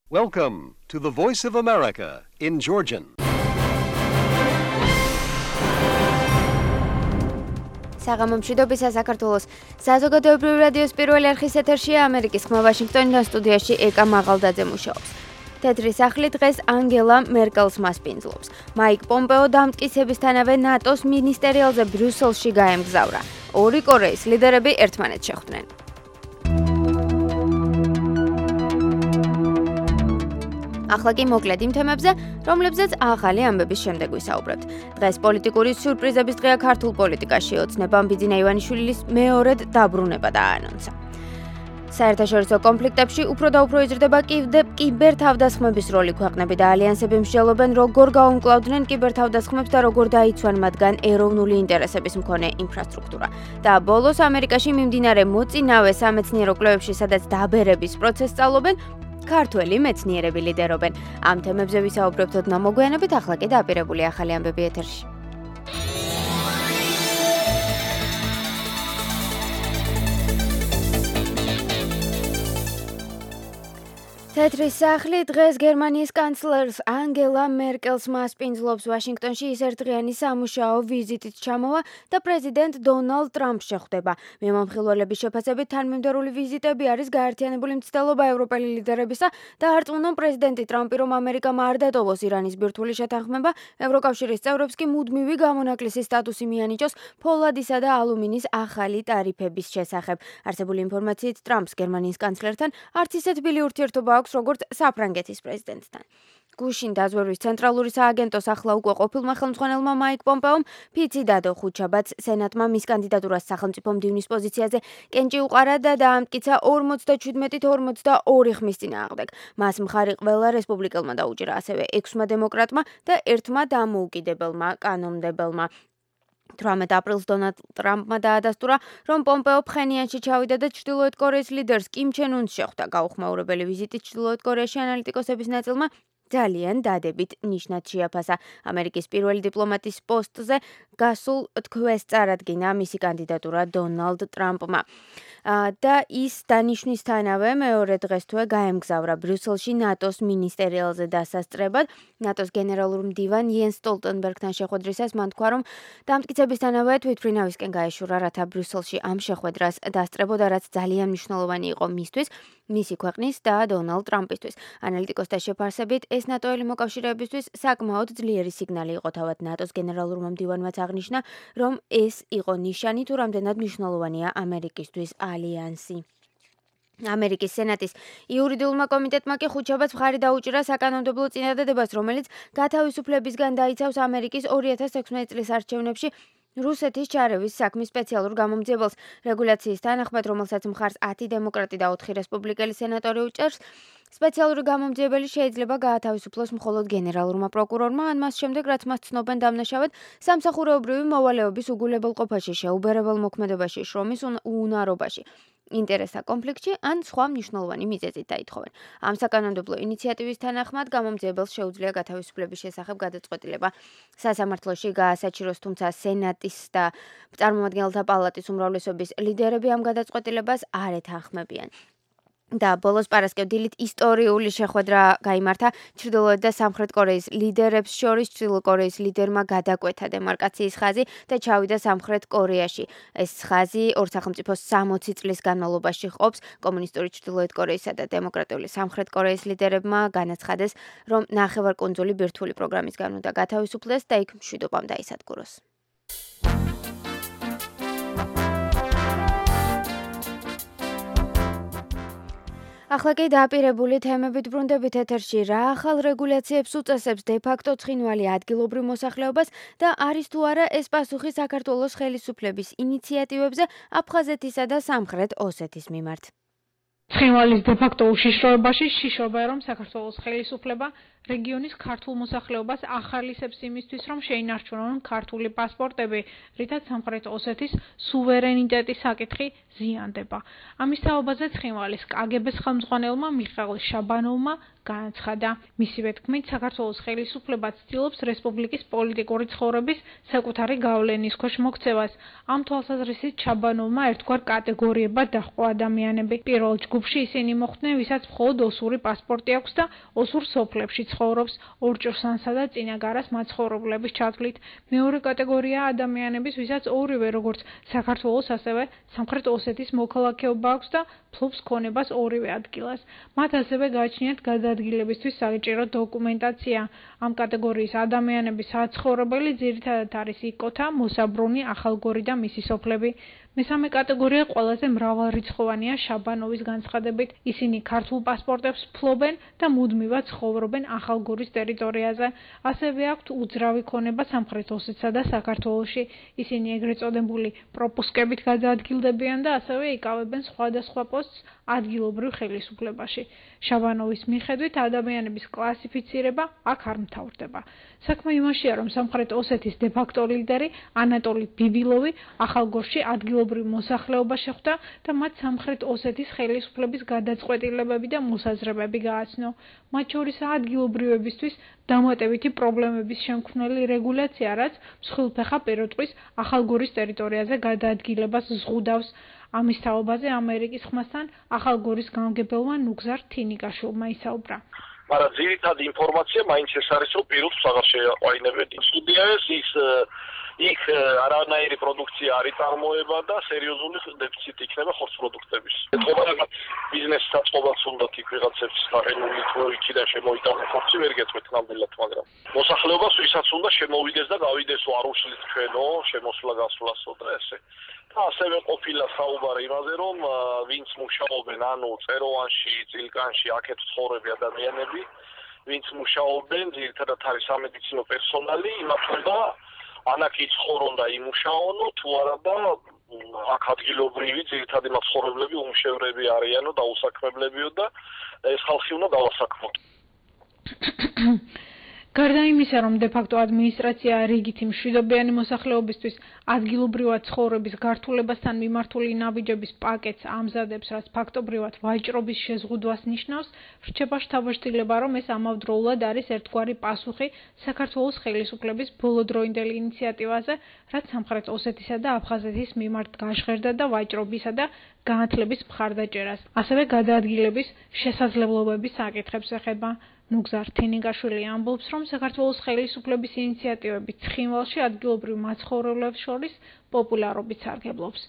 Welcome to the Voice of America in Georgian. საღამომშვიდობისა საქართველოს საზოგადოებრივი რადიოს პირველი არხის ეთერშია ამერიკის ხმა ვაშინგტონიდან სტუდიაში ეკა მაღალდაძე მუშაობს. თეთრი სახლი დღეს ანგელა მერკელს მასპინძლობს. მაიკ პომპეო დამტკიცებისთანავე ნატოს მინისტერიალზე ბრიუსელში გაემგზავრა. ორი კორეის ლიდერები ერთმანეთს შეხვდნენ. ახლა კი მოკლედ იმ თემებზე, რომლებზეც ახალი ამბების შემდეგ ვისაუბრებთ. დღეს პოლიტიკური სიურპრიზების დღეა ქართულ პოლიტიკაში. ოცნებამ ბიძინა ივანიშვილის მეორედ დაბრუნება დააანონსა. საერთაშორისო კონფლიქტებში უფრო და უფრო იზრდება კიბერთავდასხმების როლი. ქვეყნები და ალიანსები მსჯელობენ, როგორ გაუმკლავდნენ კიბერთავდასხმებს და როგორ დაიცვან მათგან ეროვნული ინტერესების მქონე ინფრასტრუქტურა. და ბოლოს ამერიკაში მიმდინარე მოწინავე სამეცნიერო კვლევებში, სადაც დაბერების პროცესს სწავლობენ, ქართველი მეცნიერები ლიდერობენ. ამ თემებზე ვისაუბრებთ ოდნავ მოგვიანებით, ახლა კი დაპირებული ახალი ამბები ეთერში. თეთრი სახლი დღეს გერმანიის კანცლერს ანგელა მერკელს მასპინძლობს. ვაშინგტონში ის ერთდღიანი სამუშაო ვიზიტით ჩამოვა და პრეზიდენტ დონალდ ტრამპს შეხვდება. მიმომხილველების შეფასებით თანმიმდევრული ვიზიტები არის გაერთიანებული მცდელობა ევროპელი ლიდერებისა და არწმუნონ პრეზიდენტი ტრამპი, რომ ამერიკამ არ დატოვოს ირანის ბირთვული შეთანხმება, ევროკავშირის წევრებს კი მუდმივი გამონაკლისის სტატუსი მიანიჭოს ფოლადისა და ალუმინის ახალი ტარიფების შესახებ. არსებული ინფორმაციით ტრამპს გერმანიის კანცლერთან არც ისე თბილი ურთიერთობა აქვს, როგორც საფრანგეთის პრეზიდენტთან. გუშინ დაზვერვის ცენტრალური სააგენტოს ახლა უკვე ყოფილმა ხელმძღვანელმა მაიკ პომპეომ ფიცი დადო ხუთშაბათს სენატმა მის კანდიდატურას სახელმწიფო მდივნის პოზიციაზე კენჭი უყარა და დაამტკიცა 57-42 ხმის წინააღმდეგ. მას მხარი ყველა რესპუბლიკელმა დაუჭირა, ასევე 6-მა დემოკრატმა და 1-მა დამოუკიდებელმა კანონმდებელმა. 18 აპრილს დონალდ ტრამპმა დაადასტურა, რომ პომპეო ფხენიანში ჩავიდა და ჩრდილოეთ კორეის ლიდერს კიმ ჩენ უნს შეხვდა. გაუხმაურებელი ვიზიტით ჩრდილოეთ კორეაში ანალიტიკოსების ნაწილმა ძალიან დადებით ნიშნად შეაფასა. ამერიკის პირველი დიპლომატის პოსტზე გასულ თქვეს წარადგინა მისი კანდიდატურა დონალდ ტრამპმა. და ის დანიშვნისთანავე მეორე დღესთვე გაემგზავრა ბრიუსელში ნატოს მინისტერიალზე დასასწრებად. ნატოს გენერალურ მდივან იენს სტოლტენბერგთან შეხვედრისას მან თქვა, რომ დამტკიცებისთანავე თვითმფრინავისკენ გაეშურა, რათა ბრიუსელში ამ შეხვედრას დასწრებოდა, რაც ძალიან მნიშვნელოვანი იყო მისთვის, მისი ქვეყნის და დონალდ ტრამპისთვის. ანალიტიკოსთა შეფასებით ეს ნატოელი მოკავშირეებისთვის საკმაოდ ძლიერი სიგნალი იყო. თავად ნატოს გენერალურმა მდივანმაც აღნიშნა, რომ ეს იყო ნიშანი, თუ რამდენად მნიშვნელოვანია ამერიკისთვის ალიანსი. ამერიკის სენატის იურიდიულმა კომიტეტმა კი ხუთშაბათს მხარი დაუჭირა საკანონმდებლო წინადადებას, რომელიც გათავისუფლებისგან დაიცავს ამერიკის 2016 წლის არჩევნებში რუსეთის ჩარევის საქმის სპეციალურ გამომძიებელს. რეგულაციის თანახმად, რომელსაც მხარს 10 დემოკრატი და 4 რესპუბლიკელი სენატორი უჭერს, სპეციალური გამომძიებელი შეიძლება გაათავისუფლოს მხოლოდ გენერალურმა პროკურორმა, ან მას შემდეგ, რაც მას ცნობენ დამნაშავედ სამსახურეობრივი მოვალეობის უგულებელყოფაში, შეუბერებელ მოქმედებაში, შრომის უუნარობაში, ინტერესთა კონფლიქტში ან სხვა მნიშვნელოვანი მიზეზით დაითხოვენ. ამ საკანონმდებლო ინიციატივის თანახმად გამომძიებელს შეუძლია გათავისუფლების შესახებ გადაწყვეტილება სასამართლოში გაასაჩიროს, თუმცა სენატის და წარმომადგენელთა პალატის უმრავლესობის ლიდერები ამ გადაწყვეტილებას არ ეთანხმებიან. და ბოლოს პარასკევ დილით ისტორიული შეხვედრა გაიმართა ჩრდილოეთ და სამხრეთ კორეის ლიდერებს შორის. ჩრდილო კორეის ლიდერმა გადაკვეთა დემარკაციის ხაზი და ჩავიდა სამხრეთ კორეაში. ეს ხაზი ორ სახელმწიფოს 60 წლის განმავლობაში ყოფს. კომუნისტური ჩრდილოეთ კორეისა და დემოკრატიული სამხრეთ კორეის ლიდერებმა განაცხადეს, რომ ნახევარკუნძული ბირთვული პროგრამისგან უნდა გათავისუფლდეს და იქ მშვიდობამ დაისადგუროს. ახლა კი დაპირებული თემებით ბრუნდებით ეთერში. რა ახალ რეგულაციებს უწესებს დე-ფაქტო ცხინვალი ადგილობრივ მოსახლეობას და არის თუ არა ეს პასუხი საქართველოს ხელისუფლების ინიციატივებზე აფხაზეთისა და სამხრეთ ოსეთის მიმართ. ცხინვალის დე-ფაქტო უშიშროებაში შიშობაა, რომ საქართველოს ხელისუფლება რეგიონის ქართულ მოსახლეობას ახალისებს იმისთვის, რომ შეინარჩუნონ ქართული პასპორტები, რითაც სამხრეთ ოსეთის სუვერენიტეტის საკითხი ზიანდება. ამის თაობაზე ცხინვალის კგბ-ს ხელმძღვანელმა მიხეილ შაბანოვმა განაცხადა. მისივე თქმით, საქართველოს ხელისუფლება ცდილობს რესპუბლიკის პოლიტიკური ცხოვრების საკუთარი გავლენის ქვეშ მოქცევას. ამ თვალსაზრისით შაბანოვმა ერთგვარ კატეგორიებად დაჰყვა ადამიანები. პირველ ჯგუფში ისინი მოხვდნენ, ვისაც მხოლოდ ოსური პასპორტი აქვს და ოსურ სოფლებში ცხოვრობს, ორჭოსანსა და წინაგარას მაცხოვრებლების ჩათვლით. მეორე კატეგორია ადამიანების, ვისაც ორივე როგორც საქართველოს, ასევე სამხრეთ ოსეთის მოქალაქეობა აქვს და ფლობს ქონებას ორივე ადგილას. მათ ასევე გააჩნიათ გადაადგილებისთვის საჭირო დოკუმენტაცია. ამ კატეგორიის ადამიანების საცხოვრებელი ძირითადად არის იკოთა, მოსაბრუნი, ახალგორი და მისი სოფლები. მესამე კატეგორია ყველაზე მრავალრიცხოვანია შაბანოვის განცხადებით. ისინი ქართულ პასპორტებს ფლობენ და მუდმივად ცხოვრობენ ახალგორის ტერიტორიაზე. ასევე აქვთ უძრავი ქონება სამხრეთ ოსეთსა და საქართველოში. ისინი ეგრეთ წოდებული პროპუსკებით გადაადგილდებიან და ასევე იკავებენ სხვადასხვა პოსტს ადგილობრივ ხელისუფლებაში. შაბანოვის მიხედვით ადამიანების კლასიფიცირება აქ არ მთავრდება. საქმე იმაშია, რომ სამხრეთ ოსეთის დე-ფაქტო ლიდერი ანატოლი ბიბილოვი ახალგორში ადგილობრივ მოსახლეობას შეხვდა და მათ სამხრეთ ოსეთის ხელისუფლების გადაწყვეტილებები და მოსაზრებები გააცნო. მათ შორისაა ადგილობრივებისთვის დამატებითი პრობლემების შემქმნელი რეგულაცია, რაც მსხვილფეხა პირუტყვის ახალგორის ტერიტორიაზე გადაადგილებას ზღუდავს. ამის თაობაზე ამერიკის ხმასთან ახალგორის გამგებელმა ნუგზარ თინიკაშვილმა ისაუბრა. მაგრამ ძირითადი ინფორმაცია მაინც ეს არის, რომ პირუტყვს აღარ შეაყვაინებენ. სტუდიას იქ არანაირი პროდუქცია არ იწარმოება და სერიოზული დეფიციტი იქნება ხორცპროდუქტების. ეთქობა ბიზნესს საწყობაც უნდათ იქ ვიღაცებს გაყენული თუ იქიდან შემოიტანოს ხორცი ვერ გეტყვით ნამდვილად, მაგრამ მოსახლეობას ვისაც უნდა შემოვიდეს და გავიდესო არ უშლის ჩვენო შემოსვლა-გასვლასო და ესე. და ასევე ყოფილა საუბარი იმაზე, რომ ვინც მუშაობენ, ანუ წეროვანში, წილკანში, აქეთ ცხოვრები ადამიანები, ვინც მუშაობენ, ძირითადად არის სამედიცინო პერსონალი, იმართება ანაკ იცხოვრონ და იმუშაონო, თუ არა და აქ ადგილობრივი ძირითადი მაცხოვრებლები უმშევრები არიანო და უსაქმებლებიო და ეს ხალხი უნდა დავასაქმოთ. გარდა იმისა, რომ დე-ფაქტო ადმინისტრაცია რიგითი მშვიდობიანი მოსახლეობისთვის ადგილობრივად ცხოვრების გართულებასთან მიმართული ნაბიჯების პაკეტს ამზადებს, რაც ფაქტობრივად ვაჭრობის შეზღუდვას ნიშნავს, რჩება შთაბეჭდილება, რომ ეს ამავდროულად არის ერთგვარი პასუხი საქართველოს ხელისუფლების ბოლოდროინდელ ინიციატივაზე, რაც სამხრეთ ოსეთისა და აფხაზეთის მიმართ გაჟღერდა და ვაჭრობისა და განათლების მხარდაჭერას, ასევე გადაადგილების შესაძლებლობების საკითხებს ეხება. ნუგზარ თინიკაშვილი ამბობს, რომ საქართველოს ხელისუფლების ინიციატივები ცხინვალში ადგილობრივ მაცხოვრებლებს შორის პოპულარობით სარგებლობს.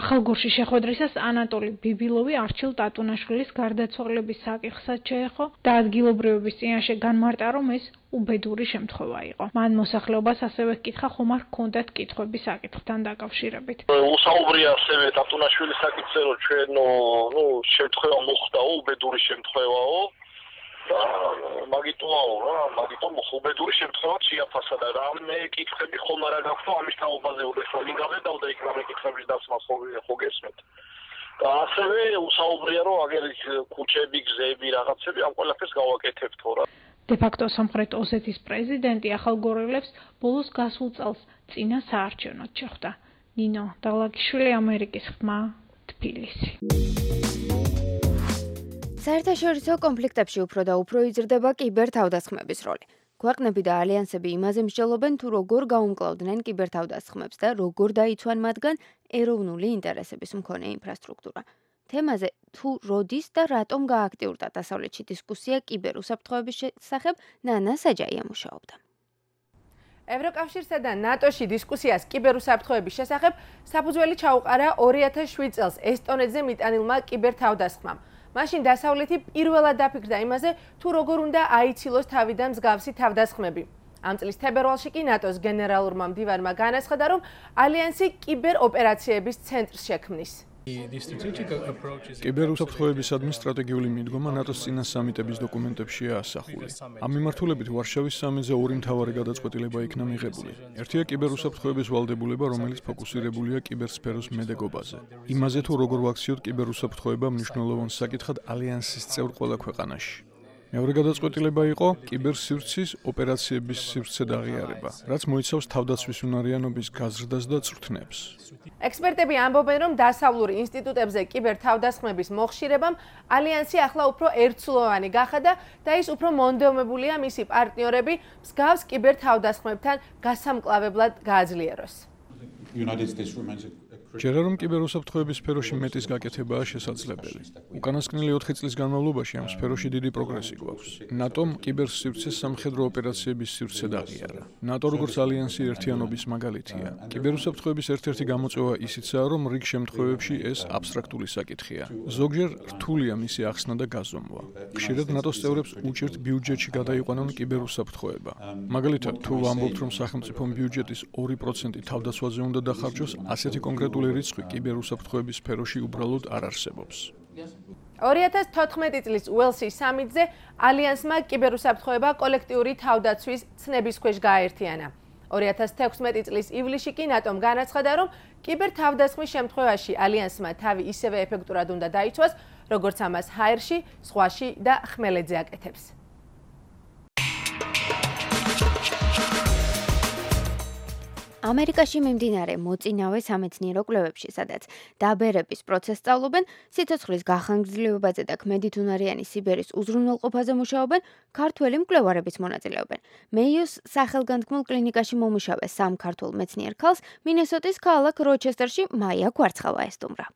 ახალგორში შეხვედრისას ანატოლი ბიბილოვი არჩილ ტატუნაშვილის გარდაცვალების საკითხსაც შეეხო და ადგილობრივების წინაშე განმარტა, რომ ეს უბედური შემთხვევა იყო. მან მოსახლეობას ასევე ჰკითხა, ხომ არ ჰქონდათ კითხვები საკითხთან დაკავშირებით. უსაუბრია ასევე ტატუნაშვილის საკითხზე, რომ ჩვენო შემთხვევა მოხდაო, უბედური შემთხვევაო. მაგიტოაო რა, მაგიტომ უბედური შემთხვევა შეაფასა და რამე კითხვები ხომ არა გაქვთ ამის თაობაზე უდესო მიგავედავ და იქ რამე კითხვების დასმას ხო გესმეთ. და ასევე უსაუბრია, რომ აგერ ქუჩები, გზები, რაღაცები ამ ყველაფერს გავაკეთებთო რა. დე-ფაქტო სამხრეთ ოსეთის პრეზიდენტი ახალგორელებს ბოლოს გასულ წელს წინა საარჩევნოდ შეხვდა. ნინო დაღლაკიშვილი, ამერიკის ხმა, თბილისი. საერთაშორისო კონფლიქტებში უფრო და უფრო იზრდება კიბერთავდასხმების როლი. ქვეყნები და ალიანსები იმაზე მსჯელობენ, თუ როგორ გაუმკლავდნენ კიბერთავდასხმებს და როგორ დაიცვან მათგან ეროვნული ინტერესების მქონე ინფრასტრუქტურა. თემაზე თუ როდის და რატომ გააქტიურდა დასავლეთში დისკუსია კიბერუსაფრთხოების შესახებ, ნანა საჯაია მუშაობდა. ევროკავშირსა და ნატოში დისკუსიას კიბერუსაფრთხოების შესახებ საფუძველი ჩაუყარა 2007 წელს ესტონეთზე მიტანილმა კიბერთავდასხმამ. მაშინ დასავლეთი პირველად დაფიქრდა იმაზე, თუ როგორ უნდა აიცილოს თავიდან მსგავსი თავდასხმები. ამ წლის თებერვალში კი ნატოს გენერალურმა მდივანმა განაცხადა, რომ ალიანსი კიბეროპერაციების ცენტრს შექმნის. კიბერუსაფრთხოებისადმი სტრატეგიული მიდგომა ნატოს წინა სამიტების დოკუმენტებშია ასახული. ამ მიმართულებით ვარშავის სამიტზე ორი მთავარი გადაწყვეტილება იქნა მიღებული. ერთია კიბერუსაფრთხოების ვალდებულება, რომელიც ფოკუსირებულია კიბერსფეროს მედეგობაზე. იმაზე თუ როგორ ვაქციოთ კიბერუსაფრთხოება მნიშვნელოვან საკითხად ალიანსის წევრ ყველა ქვეყანაში. მეორე გადაწყვეტილება იყო კიბერსივრცის ოპერაციების სივრცედ აღიარება, რაც მოიცავს თავდაცვის უნარიანობის გაზრდას და წვრთნებს. ექსპერტები ამბობენ, რომ დასავლურ ინსტიტუტებზე კიბერთავდასხმების მოხშირებამ ალიანსი ახლა უფრო ერთსულოვანი გახადა და ის უფრო მონდომებულია მისი პარტნიორები მსგავს კიბერთავდასხმებთან გასამკლავებლად გააძლიეროს. ჯერა რომ კიბერუსაფრთხოების სფეროში მეტის გაკეთებაა შესაძლებელი. უკანასკნელი 4 წლის განმავლობაში ამ სფეროში დიდი პროგრესი გვაქვს. ნატომ კიბერსივრცეს სამხედრო ოპერაციების სივრცედ აღიარა. ნატო როგორც ალიანსი ერთიანობის მაგალითია. კიბერუსაფრთხოების ერთ-ერთი გამოწვევა ისიცაა, რომ რიგ შემთხვევებში ეს აბსტრაქტული საკითხია. ზოგჯერ რთულია მისი ახსნა და გაზომვა. ხშირად ნატოს წევრებს უჭირთ ბიუჯეტში გადაიყვანონ კიბერუსაფრთხოება. მაგალითად, თუ ვამბობთ, რომ სახელმწიფო ბიუჯეტის 2% თავდაცვაზე უნდა დახარჯოს, ასეთი კონკრეტული რიცხვი კიბერუსაფრთხოების სფეროში უბრალოდ არ არსებობს. 2014 წლის უელსის სამიტზე ალიანსმა კიბერუსაფრთხოება კოლექტიური თავდაცვის ცნების ქვეშ გააერთიანა. 2016 წლის ივლისში კი ნატომ განაცხადა, რომ კიბერთავდასხმის შემთხვევაში ალიანსმა თავი ისევე ეფექტურად უნდა დაიცვას, როგორც ამას ჰაერში, ზღვაში და ხმელეთზე აკეთებს. ამერიკაში მიმდინარე მოწინავე სამეცნიერო კვლევებში, სადაც დაბერების პროცესს სწავლობენ, სიცოცხლის გახანგრძლივებაზე და ქმედით უნარიანი სიბერის უზრუნველყოფაზე მუშაობენ, ქართველი მკვლევარებიც მონაწილეობენ. მეიოს სახელგანთქმულ კლინიკაში მომუშავე 3 ქართულ მეცნიერ ქალს მინესოტის ქალაქ როჩესტერში მაია გვარცხავა ესტუმრა.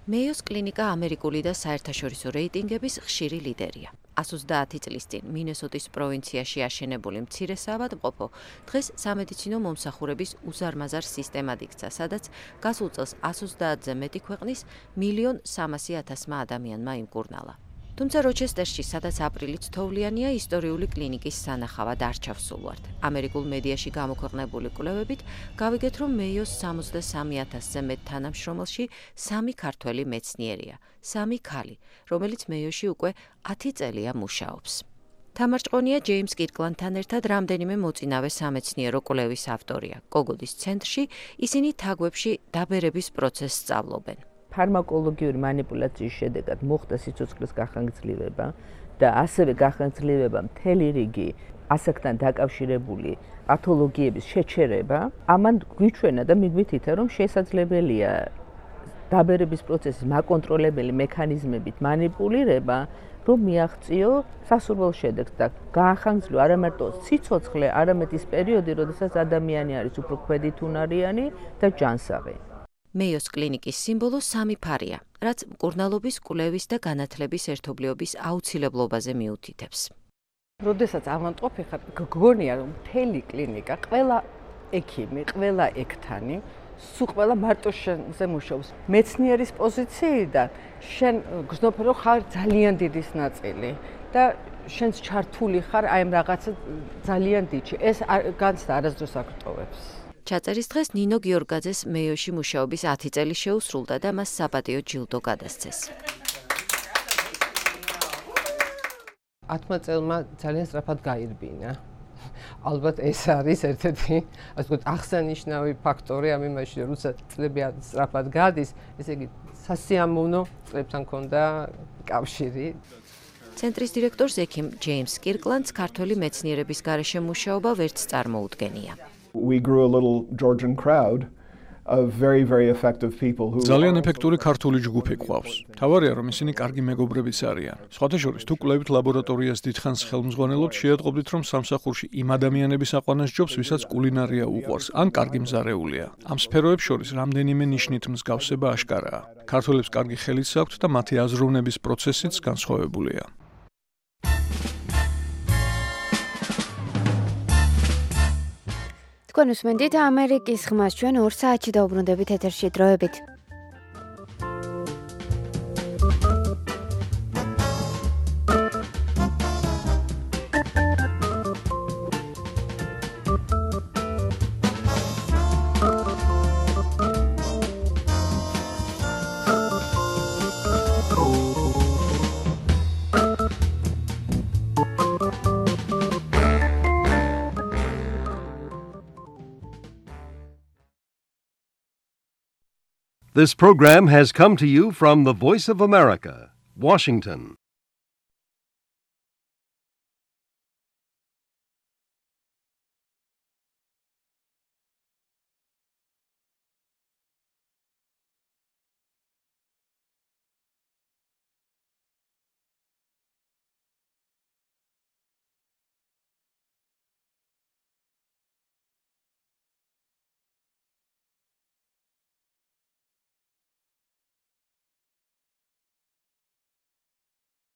მეიოს კლინიკა ამერიკული და საერთაშორისო რეიტინგების ხშირი ლიდერია. 130 წლის წინ მინესოტის პროვინციაში აშენებული მცირე საავადმყოფო დღეს სამედიცინო მომსახურების უზარმაზარ სისტემად იქცა, სადაც გასულ წელს 130-ზე მეტი ქვეყნის 1.3 მილიონმა ადამიანმა იმკურნალა. თუმცა როჩესტერში, სადაც აპრილიც თოვლიანია, ისტორიული კლინიკის სანახავად არ ჩავსულვართ. ამერიკულ მედიაში გამოქვეყნებული კვლევებით გავიგეთ, რომ მეიოს 63,000-ზე მეტ თანამშრომელში 3 ქართველი მეცნიერია, 3 ქალი, რომელიც მეიოში უკვე 10 წელია მუშაობს. თამარჭყონია ჯეიმს კირკლანდთან ერთად რამდენიმე მოწინავე სამეცნიერო კვლევის ავტორია. კოგოდის ცენტრში ისინი თაგვებში დაბერების პროცესს სწავლობენ. ფარმაკოლოგიური манипуляციის შედეგად მოხდა სიცოცხლის გახანგრძლივება და ასევე გახანგრძლივება მთელი რიგი ასაკთან დაკავშირებული პათოლოგიების შეჩერება. ამან გვიჩვენა და მიგვითითა, რომ შესაძლებელია დაბერების პროცესის მაკონტროლებელი მექანიზმებით манипуლირება, რომ მიაღწიო სასურველ შედეგს და გაახანგრძლო არა მარტო სიცოცხლე, არამედ ის პერიოდი, როდესაც ადამიანი არის უფრო ქმედით უნარიანი და ჯანსაღი. მეიოს კლინიკის სიმბოლო 3 ფარია, რაც მკურნალობის, კვლევის და განათლების ერთობლიობის აუცილებლობაზე მიუთითებს. როდესაც ავადმყოფი ხარ, გგონია რომ მთელი კლინიკა, ყველა ექიმი, ყველა ექთანი, სულ ყველა მარტო შენზე მუშაობს. მეცნიერის პოზიციიდან შენ გრძნობ რომ ხარ ძალიან დიდი ნაწილი და შენს ჩართული ხარ აი ამ რაღაცა ძალიან დიდში. ეს განცდა არასდროს არ გტოვებს. ჩაწერის დღეს ნინო გიორგაძეს მეიოში მუშაობის 10 წელი შეუსრულდა და მას საპატიო ჯილდო გადასცეს. 10 წელმა ძალიან სწრაფად გაირბინა. ალბათ ეს არის ერთ-ერთი, ასე ვთქვათ, აღსანიშნავი ფაქტორი ამ იმაში, როცა წლები სწრაფად გადის, ესე იგი სასიამოვნო წლებთან ქონდა კავშირი. ცენტრის დირექტორს ექიმ ჯეიმს კირკლანდს ქართველი მეცნიერების გარეშე მუშაობა ვერც წარმოუდგენია. We grew a little Georgian crowd of very, very effective people who ძალიან ეფექტური ქართული ჯგუფი გვყავს. თავარია, რომ ისინი კარგი მეგობრებიც არიან. სხვათა შორის, თუ კვლევით ლაბორატორიას დიდხანს ხელმძღვანელობთ, შეატყობდით, რომ სამსახურში იმ ადამიანების აყვანას ჯობს, ვისაც კულინარია უყვარს, ან კარგი მზარეულია. ამ სფეროებს შორის რამდენიმე ნიშნით მსგავსება აშკარაა. ქართველებს კარგი ხელიც აქვთ და მათი აზროვნების პროცესიც განსხვავებულია. თქვენ უსმენთ ამერიკის ხმას, ჩვენ 2 საათში დაუბრუნდებით ეთერში დროებით. This program has come to you from the Voice of America, Washington.